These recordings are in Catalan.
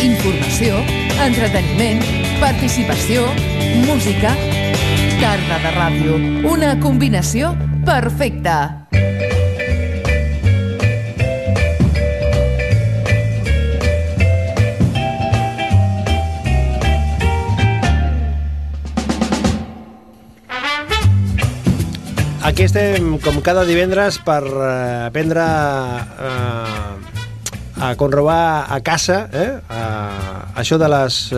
informació, entreteniment, participació, música. Tarda de ràdio, una combinació perfecta. Aquí estem, com cada divendres, per aprendre a conrobar a casa això de les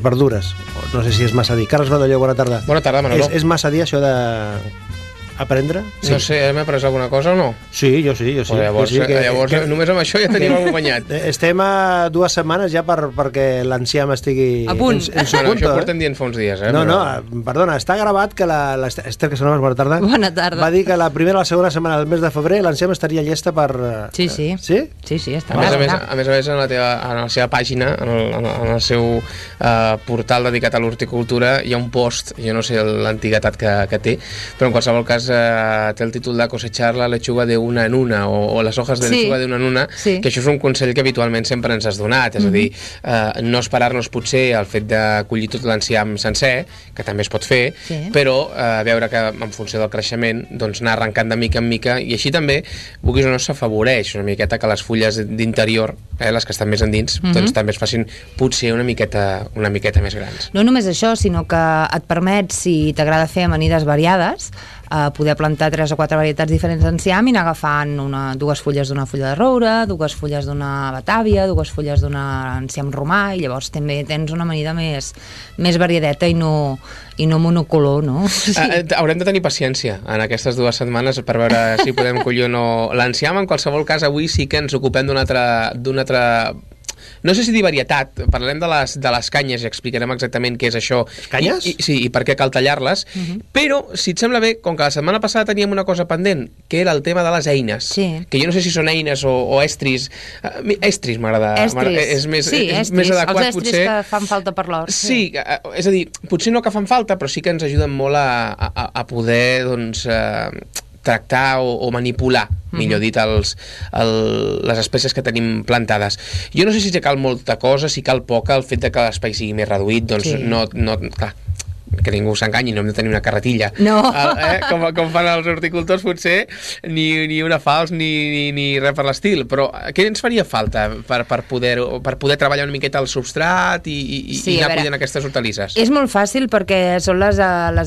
verdures. No sé si és massa dir. Carles Badalló, bona tarda. Bona tarda, Manolo. És massa dir això de aprendre? Sí. No sé, m'he après alguna cosa o no? Sí, jo sí. Llavors, només amb això ja tenim algú guanyat. Estem a 2 setmanes ja perquè l'enciam estigui a punt. en su punto. Això ho portem dient fa uns dies. No, perdona, està gravat que l'Ester Casanovas, bona tarda. Bona tarda. Va dir que la primera o la segona setmana del mes de febrer l'enciam estaria llesta per... Sí. Sí? Sí, està gravat. A més, en la seva pàgina, en el seu portal dedicat a l'horticultura, hi ha un post, jo no sé l'antiguitat que té, però en qualsevol cas té el títol de cosechar la lechuga de una en una o les hojas de lechuga de una en una, que això és un consell que habitualment sempre ens has donat, és a dir, no esperar-nos potser el fet de collir tot l'enciam sencer, que també es pot fer, però veure que en funció del creixement doncs anar arrencant de mica en mica, i així també, vulguis o no, s'afavoreix una miqueta que les fulles d'interior, les que estan més endins, doncs també es facin potser una miqueta més grans. No només això, sinó que et permet, si t'agrada fer amanides variades, poder plantar 3 o 4 varietats diferents d'enciam i anar agafant 2 fulles d'una fulla de roure, 2 fulles d'una batàvia, 2 fulles d'un enciam romà, i llavors també tens una amanida més variadeta i no monocolor, no? Sí. Haurem de tenir paciència en aquestes 2 setmanes per veure si podem collir o no l'enciam. En qualsevol cas, avui sí que ens ocupem d'una altra no sé si dir varietat, parlarem de les canyes i explicarem exactament què és això. Canyes? I per què cal tallar-les, però, si et sembla bé, com que la setmana passada teníem una cosa pendent, que era el tema de les eines, que jo no sé si són eines o estris. Estris m'agrada. És més adequat, els estris que fan falta per l'hort. Sí, és a dir, potser no que fan falta, però sí que ens ajuden molt a poder, doncs, tractar o manipular, millor dit, les espècies que tenim plantades. Jo no sé si cal molta cosa, si cal poca, el fet que l'espai sigui més reduït, doncs no, clar, que ningú s'enganyi, no hem de tenir una carretilla. No. Com fan els horticultors, potser, ni una falç ni res per l'estil. Però què ens faria falta per poder treballar una miqueta el substrat i anar collint aquestes hortalisses? És molt fàcil perquè són les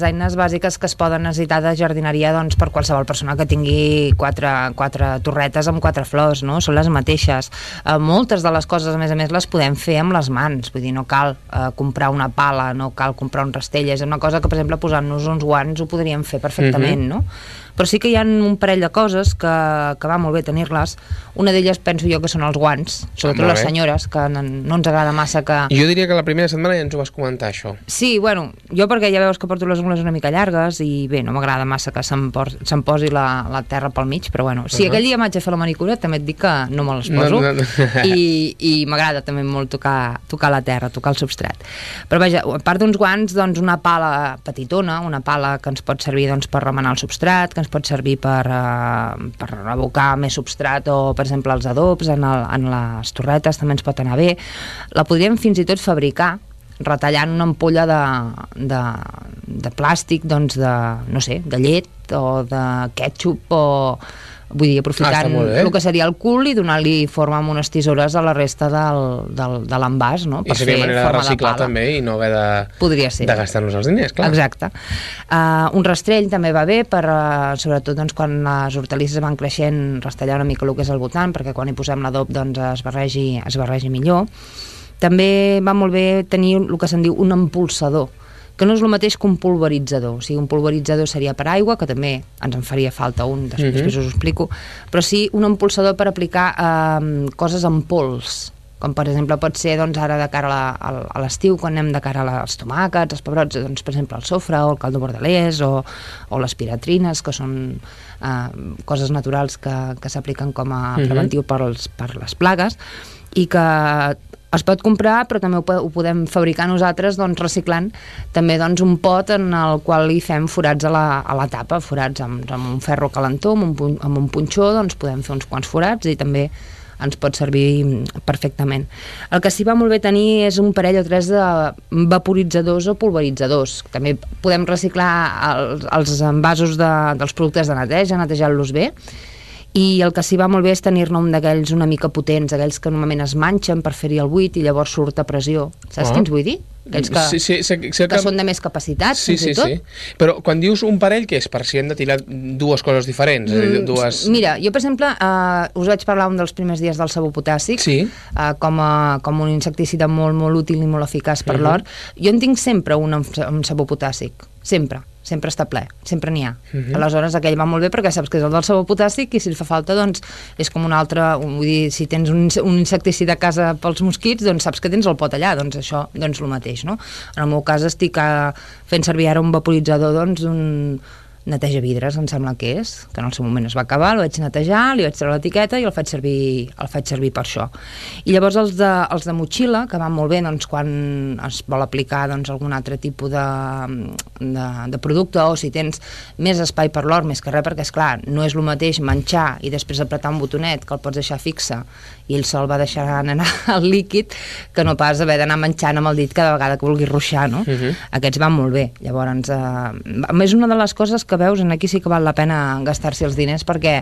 eines bàsiques que es poden necessitar de jardineria, doncs, per qualsevol persona que tingui 4 torretes amb 4 flors, no? Són les mateixes. Moltes de les coses, a més, les podem fer amb les mans. Vull dir, no cal comprar una pala, no cal comprar un rastell. És una cosa que, per exemple, posant-nos uns guants ho podríem fer perfectament, no? Però sí que hi ha un parell de coses que va molt bé tenir-les. Una d'elles penso jo que són els guants, sobretot les senyores, que no ens agrada massa que... Jo diria que la primera setmana ja ens ho vas comentar, això. Sí, bueno, jo perquè ja veus que porto les ungles una mica llargues i bé, no m'agrada massa que se'm posi la terra pel mig, però bueno, si aquell dia m'haig de fer la manicura també et dic que no me les poso i m'agrada també molt tocar la terra, tocar el substrat. Però vaja, a part d'uns guants, doncs una pala petitona, una pala que ens pot servir doncs, per remenar el substrat, que ens pot servir per abocar més substrat o, per exemple, els adobs en les torretes també ens pot anar bé. La podríem fins i tot fabricar retallant una ampolla de plàstic, doncs no sé, de llet o de ketchup o... Vull dir, aprofitant el que seria el cul i donar-li forma amb unes tisores a la resta de l'envàs, no? I seria manera de reciclar també i no haver de gastar-nos els diners, clar. Exacte. Un rastrell també va bé per, sobretot doncs, quan les hortalisses van creixent, rastellar una mica el que és al voltant, perquè quan hi posem l'adob doncs, es barregi millor. També va molt bé tenir el que se'n diu un empolsador, que no és el mateix que un pulveritzador. O sigui, un pulveritzador seria per aigua, que també ens en faria falta un, després us ho explico, però sí un empolsador per aplicar coses en pols, com per exemple pot ser doncs, ara de cara a l'estiu, quan anem de cara als tomàquets, als pebrots, doncs, per exemple el sofre o el caldo bordelès o les piratrines, que són coses naturals que s'apliquen com a preventiu per les plagues, i que es pot comprar, però també ho podem fabricar nosaltres, doncs, reciclant també doncs, un pot en el qual hi fem forats a la tapa, forats amb un ferro calentó, amb un punxó, doncs podem fer uns quants forats i també ens pot servir perfectament. El que sí va molt bé tenir és un parell o tres de vaporitzadors o pulveritzadors. També podem reciclar els envasos dels productes de neteja, netejar-los bé, i el que sí va molt bé és tenir-ne un d'aquells una mica potents, aquells que normalment es manxen per fer-hi el buit i llavors surt a pressió. Saps quins vull dir? Aquells que són de més capacitat, fins i tot. Sí. Però quan dius un parell, què és? Per si hem de tirar dues coses diferents? Mira, jo, per exemple, us vaig parlar un dels primers dies del sabó potàssic, com un insecticida molt, molt útil i molt eficaç per l'hort. Jo en tinc sempre un amb sabó potàssic, sempre està ple, sempre n'hi ha. Aleshores aquell va molt bé perquè saps que és el del sabó potàssic i si li fa falta doncs és com un altre, vull dir, si tens un insecticida a casa pels mosquits, doncs saps que tens el pot allà, doncs això, doncs el mateix, no? En el meu cas estic fent servir ara un vaporitzador, doncs un neteja vidres, em sembla que és, que en el seu moment es va acabar, el vaig netejar, li vaig treure l'etiqueta i el faig servir per això. I llavors els de motxilla, que van molt bé doncs, quan es vol aplicar doncs, algun altre tipus de producte, o si tens més espai per l'hort, més que res, perquè esclar, no és el mateix manxar i després apretar un botonet que el pots deixar fixe i ell sol va deixar anar el líquid que no pas haver d'anar manxant amb el dit cada vegada que vulguis ruixar, no? Aquests van molt bé. Llavors, és una de les coses que veus, aquí sí que val la pena gastar-s'hi els diners perquè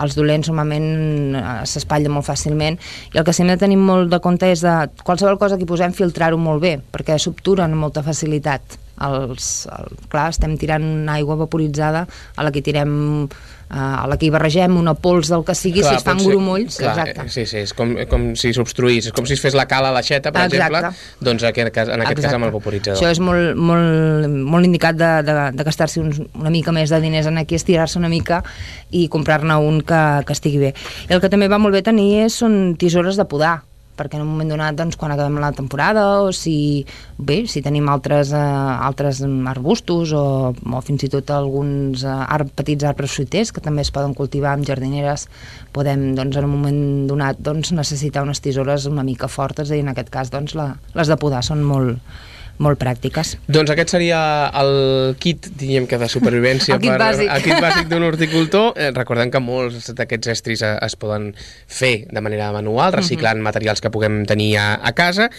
els dolents normalment s'espatllen molt fàcilment i el que sí hem de tenir molt de compte és de qualsevol cosa que hi posem filtrar-ho molt bé perquè s'obturen amb molta facilitat. Clar, estem tirant aigua vaporitzada a la que tirem a la que hi barregem una pols del que sigui, clar, si es fan grumolls, exacte. Sí, és com si s'obstruís, és com si es fes la cala a l'aixeta, per exemple, doncs en aquest cas amb el vaporitzador. Això és molt indicat de gastar-se una mica més de diners en aquí, estirar-se una mica i comprar-ne un que estigui bé. I el que també va molt bé tenir són tisores de podar, perquè en un moment donat, doncs, quan acabem la temporada o si tenim altres arbustos o fins i tot alguns petits arbres fruiters que també es poden cultivar en jardineres, podem, doncs, en un moment donat doncs, necessitar unes tisores una mica fortes i en aquest cas doncs, les de podar són molt pràctiques. Doncs aquest seria el kit, diríem que de supervivència el kit bàsic d'un horticultor. Recordem que molts d'aquests estris es poden fer de manera manual, reciclant materials que puguem tenir a casa.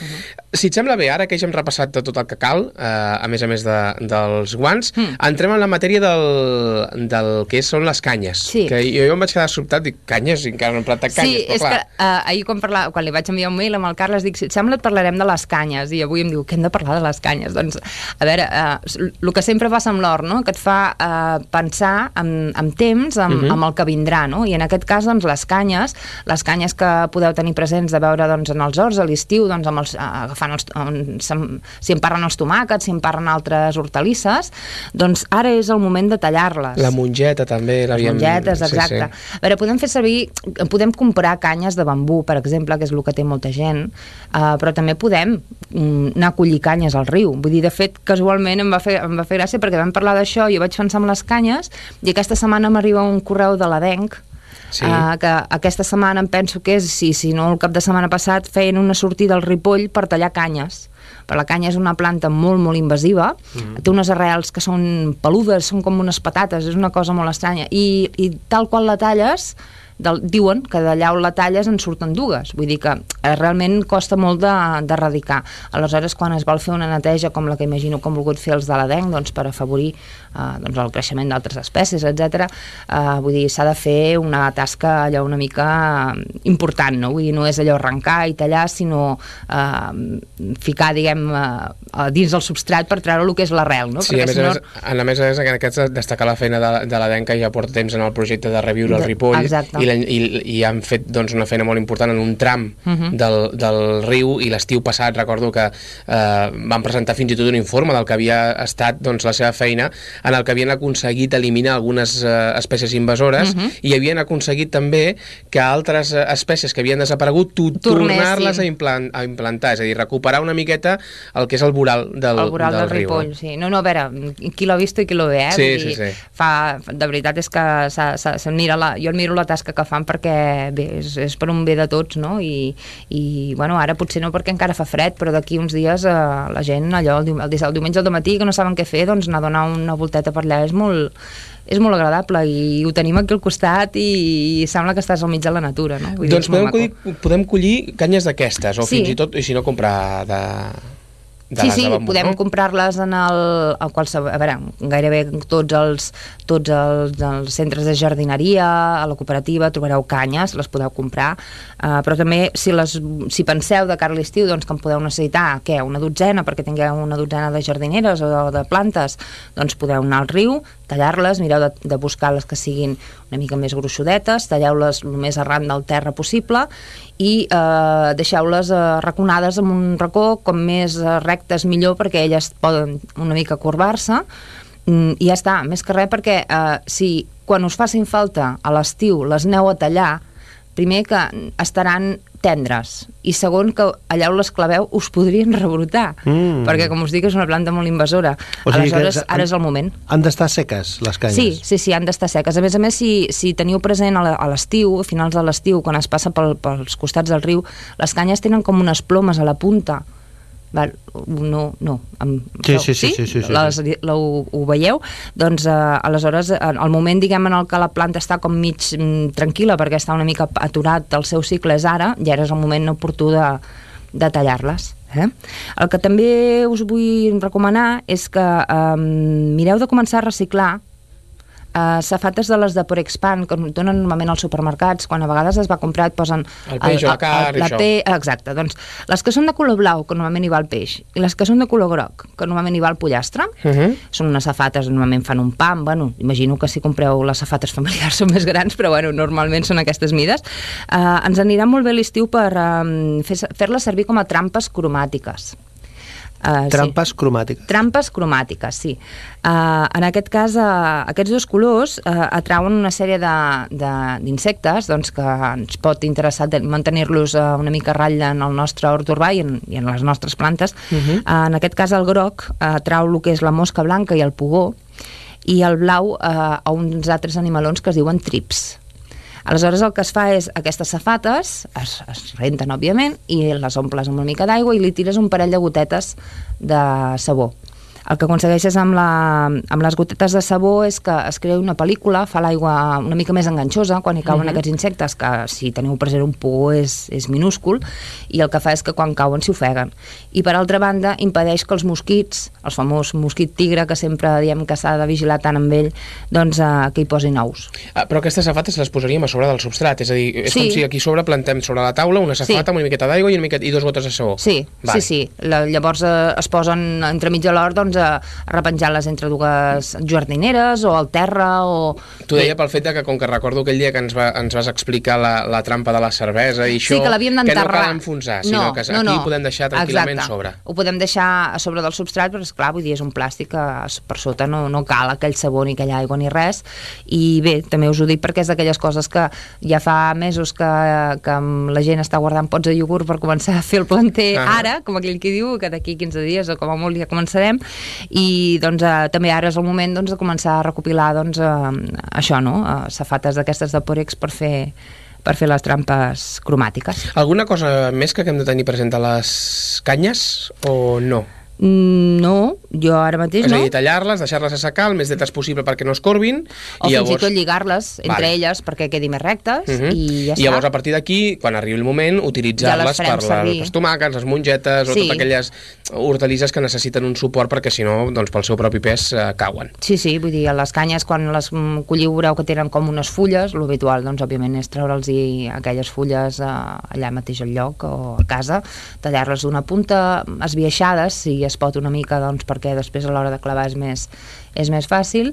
Si et sembla bé, ara que ja hem repassat tot el que cal, a més dels guants, entrem en la matèria del que són les canyes. Sí. Que jo em vaig quedar sobtat, dic, canyes? I encara no hem plantat canyes. Sí, és que ahir quan li vaig enviar un mail amb el Carles, dic, si et sembla et parlarem de les canyes, i avui em diu que hem de parlar de les canyes. Doncs, a veure, el que sempre passa amb l'hort, no? Que et fa pensar en temps, amb el que vindrà, no? I en aquest cas, doncs, les canyes que podeu tenir presents de veure doncs, en els horts a l'estiu, doncs, si en parlen els tomàquets, si en parlen altres hortalisses, doncs ara és el moment de tallar-les. La mongeta també. Les mongetes, exacte. Sí. A veure, podem comprar canyes de bambú, per exemple, que és el que té molta gent, però també podem anar a collir canyes al riu. Vull dir, de fet, casualment em va fer gràcia perquè vam parlar d'això, jo vaig pensar en les canyes i aquesta setmana m'arriba un correu de l'Adenc, que aquesta setmana em penso que és, si no el cap de setmana passat, feien una sortida al Ripoll per tallar canyes. Però la canya és una planta molt, molt invasiva, té unes arrels que són peludes, són com unes patates, és una cosa molt estranya, i tal qual la talles, diuen que d'allà on la talles en surten dues, vull dir que realment costa molt d'erradicar. Aleshores, quan es vol fer una neteja com la que imagino que han volgut fer els de l'Adenc, doncs, per afavorir el creixement d'altres espècies, etc. Vull dir, s'ha de fer una tasca allò una mica important, no? Vull dir, no és allò arrencar i tallar, sinó ficar, diguem, dins del substrat per treure el que és l'arrel, no? Sí, a més, en aquest destacar la feina de l'Adenc, que ja porta temps en el projecte de reviure el Ripoll, i han fet doncs, una feina molt important en un tram del riu, i l'estiu passat recordo que van presentar fins i tot un informe del que havia estat doncs, la seva feina, en el que havien aconseguit eliminar algunes espècies invasores i havien aconseguit també que altres espècies que havien desaparegut tornar-les a implantar, és a dir, recuperar una miqueta el que és el voral del riu. Ripoll, sí. No, a veure, qui l'ha vist i qui l'ho ve, Sí. De veritat és que jo admiro la tasca que que fan perquè bé, és per un bé de tots, no? I bueno, ara potser no perquè encara fa fred, però d'aquí uns dies la gent allò, el diumenge al matí que no saben què fer, doncs anar a donar una volteta per allà és molt agradable i ho tenim aquí al costat i sembla que estàs al mig de la natura, no? Vull doncs dir, podem collir canyes d'aquestes o fins i tot, i si no comprar de les de bambú, podem no? comprar-les a veure, gairebé tots els centres de jardineria, a la cooperativa trobareu canyes, les podeu comprar, però també si penseu de cara a l'estiu doncs que en podeu necessitar una dotzena perquè tingueu una dotzena de jardineres o de plantes, doncs podeu anar al riu, tallar-les, mireu de buscar les que siguin una mica més gruixudetes, talleu-les el més arran del terra possible i deixeu-les raconades en un racó com més rectes millor perquè elles poden una mica corbar-se i ja està, més que res perquè si quan us facin falta a l'estiu les aneu a tallar, primer que estaran tendres i segon que allà on les claveu us podrien rebrotar perquè com us dic és una planta molt invasora, aleshores ara és el moment. Han d'estar seques les canyes? Sí, han d'estar seques. A més, si teniu present a l'estiu, a finals de l'estiu, quan es passa pels costats del riu, les canyes tenen com unes plomes a la punta. Sí. Ho veieu? Doncs aleshores el moment diguem en el que la planta està com mig tranquil·la perquè està una mica aturat el seu cicle és ara, i ara és el moment oportú de tallar-les. El que també us vull recomanar és que mireu de començar a reciclar safates de les de Porexpan que donen normalment als supermercats quan a vegades es va comprar et posen el peix o la carn exacte, doncs les que són de color blau que normalment hi va el peix i les que són de color groc que normalment hi va el pollastre són unes safates, normalment fan un pam, bueno, imagino que si compreu les safates familiars són més grans però bueno, normalment són aquestes mides ens anirà molt bé l'estiu per fer-les servir com a trampes cromàtiques. Trampes cromàtiques. Trampes cromàtiques, sí. En aquest cas, aquests dos colors atrauen una sèrie d'insectes doncs, que ens pot interessar mantenir-los una mica a ratlla en el nostre hort urbà i en les nostres plantes. En aquest cas, el groc atrau el que és la mosca blanca i el pugó, i el blau a uns altres animalons que es diuen trips. Aleshores el que es fa és aquestes safates es renten òbviament i les omples amb una mica d'aigua i li tires un parell de gotetes de sabó. El que aconsegueixes amb les gotetes de sabó és que es crea una pel·lícula, fa l'aigua una mica més enganxosa quan hi cauen aquests insectes, que si teniu present un pugó és minúscul, i el que fa és que quan cauen s'hi ofeguen. I per altra banda impedeix que els mosquits, el famós mosquit tigre que sempre diem que s'ha de vigilar tant amb ell, doncs que hi posin ous. Però aquestes safates les posaríem a sobre del substrat, és a dir, és com si aquí sobre plantem sobre la taula una safata amb una miqueta d'aigua i 2 gotes de sabó. Sí. Llavors es posen entremig de l'hort doncs, a repenjar-les entre dues jardineres o al terra o... T'ho deia pel fet que com que recordo aquell dia que ens vas explicar la trampa de la cervesa i això, que l'havíem d'enterrar. Que no cal enfonsar, sinó que aquí ho podem deixar tranquil·lament sobre. Ho podem deixar a sobre del substrat, però esclar, vull dir, és un plàstic que per sota no cal aquell sabó ni aquella aigua ni res, i bé, també us ho dic perquè és d'aquelles coses que ja fa mesos que la gent està guardant pots de iogurt per començar a fer el planter ara, com aquell que diu, que d'aquí 15 dies o com a molt ja començarem, i doncs també ara és el moment doncs, de començar a recopilar doncs, això, no? Safates d'aquestes de Porex per fer les trampes cromàtiques. Alguna cosa més que hem de tenir present a les canyes o no? No, jo ara mateix no. És a dir, tallar-les, deixar-les assecar el més dretes possible perquè no es corbin. O fins i tot lligar-les entre elles perquè quedi més rectes i ja està. I llavors a partir d'aquí, quan arribi el moment, utilitzar-les per les tomàquets, les mongetes o totes aquelles hortalisses que necessiten un suport perquè si no, doncs pel seu propi pes cauen. Sí, vull dir, les canyes quan les colliu veureu que tenen com unes fulles, l'habitual doncs òbviament és treure'ls aquelles fulles allà mateix al lloc o a casa, tallar-les d'una punta esbiaixades si es pot una mica doncs, perquè després a l'hora de clavar és més fàcil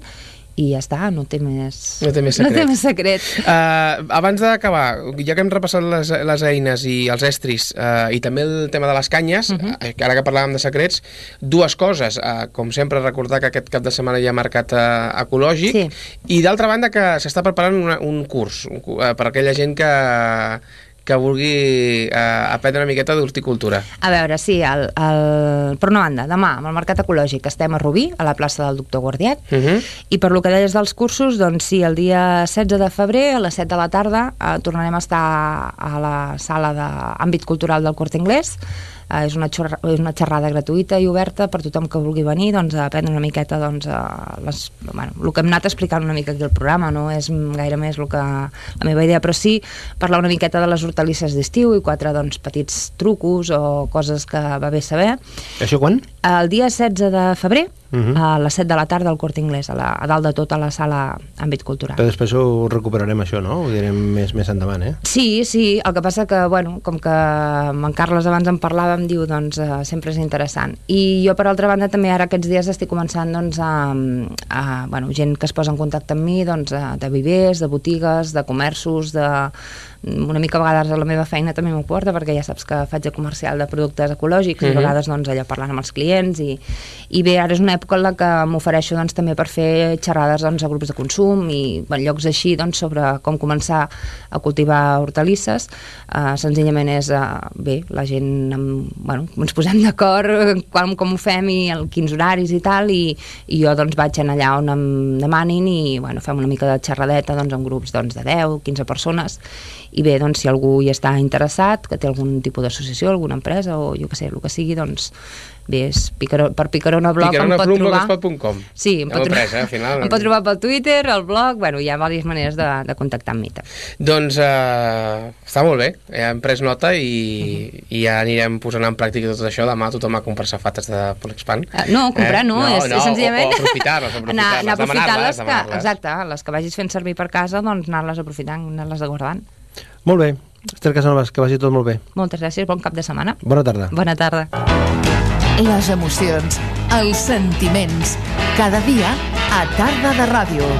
i ja està, no té més secret. Abans d'acabar, ja que hem repassat les eines i els estris i també el tema de les canyes, ara que parlàvem de secrets, dues coses, com sempre recordar que aquest cap de setmana hi ha mercat ecològic i d'altra banda que s'està preparant un curs per aquella gent que que vulgui aprendre una miqueta d'horticultura. A veure, sí, per una banda, demà, amb el Mercat Ecològic, estem a Rubí, a la plaça del Doctor Guardiet, i per lo que deies dels cursos, doncs sí, el dia 16 de febrer, a les 7 de la tarda, tornarem a estar a la sala d'àmbit cultural del Corte Inglés. És una xerrada gratuïta i oberta per tothom que vulgui venir, doncs, a aprendre una miqueta, doncs, el que hem anat explicant una mica aquí al programa, no és gaire més la meva idea, però sí parlar una miqueta de les hortalisses d'estiu i 4, doncs, petits trucos o coses que va bé saber. Això quan? El dia 16 de febrer, a les 7 de la tarda al Corte Inglés, a dalt de tot a la sala àmbit cultural. Però després ho recuperarem, això, no? Ho direm més endavant, eh? Sí, el que passa que, bueno, com que amb en Carles abans en parlàvem, diu, doncs, sempre és interessant. I jo, per altra banda, també ara aquests dies estic començant, doncs, gent que es posa en contacte amb mi, doncs, de vivers, de botigues, de comerços, una mica a vegades a la meva feina també m'ho porta, perquè ja saps que faig de comercial de productes ecològics i a vegades, doncs, allò parlant amb els clients i bé, ara és una època en la que m'ofereixo, doncs, també per fer xerrades, doncs, a grups de consum i llocs així, doncs, sobre com començar a cultivar hortalisses. Senzillament és, bé, la gent, ens posem d'acord com ho fem i quins horaris i tal, i jo, doncs, vaig allà on em demanin i, fem una mica de xerradeta, doncs, en grups, doncs, de 10, 15 persones. I bé, doncs, si algú hi està interessat, que té algun tipus d'associació, alguna empresa o jo què sé, el que sigui, doncs bé, per Picarona Blog em pot trobar. Picaronablog.com. Sí, em pot trobar pel Twitter, al blog, hi ha diverses maneres de contactar amb mi. Doncs està molt bé, hem pres nota i ja anirem posant en pràctica tot això. Demà tothom a comprar safates de Polexpan. No, comprar no, és senzillament o aprofitar-les, anar demanar-les. Exacte, les que vagis fent servir per casa, doncs anar-les aprofitant, anar-les guardant. Molt bé, Esther Casanovas, que vagi tot molt bé. Moltes gràcies, bon cap de setmana. Bona tarda. Bona tarda. Les emocions, els sentiments, cada dia a Tarda de Ràdio.